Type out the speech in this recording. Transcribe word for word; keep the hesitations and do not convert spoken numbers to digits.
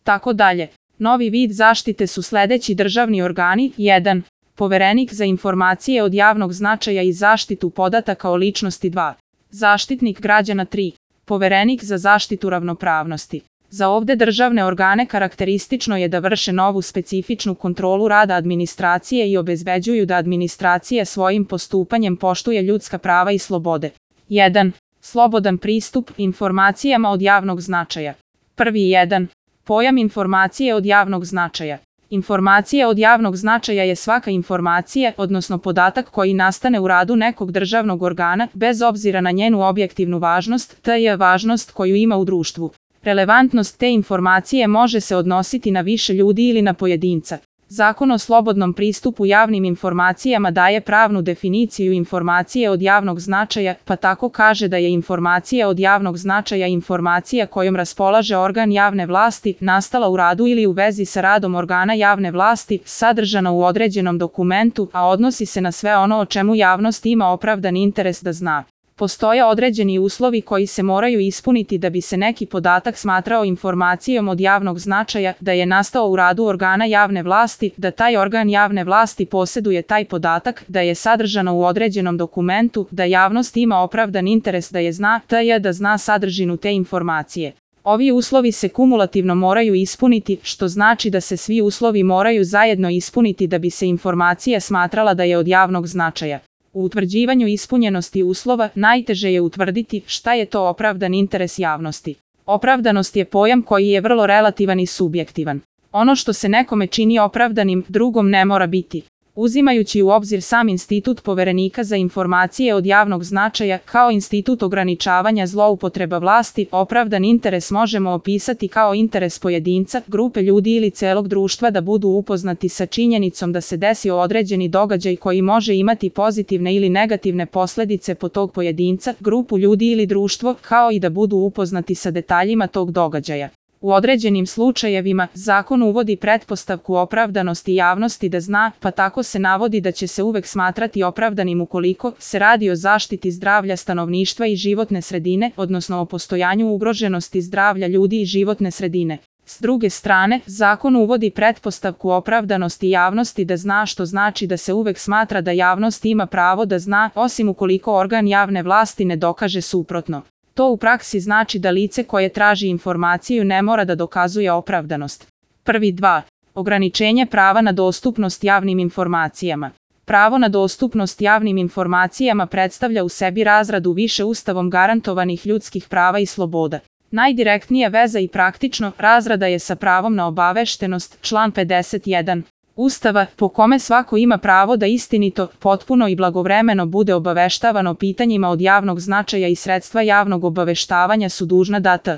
tako dalje. Novi vid zaštite su sledeći državni organi. jedan. Poverenik za informacije od javnog značaja i zaštitu podataka o ličnosti. dva. Zaštitnik građana. tri. Poverenik za zaštitu ravnopravnosti. Za ovde državne organe karakteristično je da vrše novu specifičnu kontrolu rada administracije i obezbeđuju da administracija svojim postupanjem poštuje ljudska prava i slobode. jedan. Slobodan pristup informacijama od javnog značaja. Prvi jedan. Pojam informacije od javnog značaja. Informacija od javnog značaja je svaka informacija, odnosno podatak koji nastane u radu nekog državnog organa, bez obzira na njenu objektivnu važnost, te je važnost koju ima u društvu. Relevantnost te informacije može se odnositi na više ljudi ili na pojedinca. Zakon o slobodnom pristupu javnim informacijama daje pravnu definiciju informacije od javnog značaja, pa tako kaže da je informacija od javnog značaja informacija kojom raspolaže organ javne vlasti, nastala u radu ili u vezi sa radom organa javne vlasti, sadržana u određenom dokumentu, a odnosi se na sve ono o čemu javnost ima opravdan interes da zna. Postoje određeni uslovi koji se moraju ispuniti da bi se neki podatak smatrao informacijom od javnog značaja, da je nastao u radu organa javne vlasti, da taj organ javne vlasti poseduje taj podatak, da je sadržano u određenom dokumentu, da javnost ima opravdan interes da je zna, te je da zna sadržinu te informacije. Ovi uslovi se kumulativno moraju ispuniti, što znači da se svi uslovi moraju zajedno ispuniti da bi se informacija smatrala da je od javnog značaja. U utvrđivanju ispunjenosti uslova najteže je utvrditi šta je to opravdan interes javnosti. Opravdanost je pojam koji je vrlo relativan i subjektivan. Ono što se nekome čini opravdanim, drugom ne mora biti. Uzimajući u obzir sam institut Poverenika za informacije od javnog značaja kao institut ograničavanja zloupotreba vlasti, opravdan interes možemo opisati kao interes pojedinca, grupe ljudi ili celog društva da budu upoznati sa činjenicom da se desio određeni događaj koji može imati pozitivne ili negativne posledice po tog pojedinca, grupu ljudi ili društvo, kao i da budu upoznati sa detaljima tog događaja. U određenim slučajevima, zakon uvodi pretpostavku opravdanosti javnosti da zna, pa tako se navodi da će se uvek smatrati opravdanim ukoliko se radi o zaštiti zdravlja stanovništva i životne sredine, odnosno o postojanju ugroženosti zdravlja ljudi i životne sredine. S druge strane, zakon uvodi pretpostavku opravdanosti javnosti da zna, što znači da se uvek smatra da javnost ima pravo da zna, osim ukoliko organ javne vlasti ne dokaže suprotno. To u praksi znači da lice koje traži informaciju ne mora da dokazuje opravdanost. Prvi dva. Ograničenje prava na dostupnost javnim informacijama. Pravo na dostupnost javnim informacijama predstavlja u sebi razradu više ustavom garantovanih ljudskih prava i sloboda. Najdirektnija veza i praktično razrada je sa pravom na obaveštenost, član pedeset jedan. Ustava, po kome svako ima pravo da istinito, potpuno i blagovremeno bude obaveštavano pitanjima od javnog značaja i sredstva javnog obaveštavanja su dužna da t.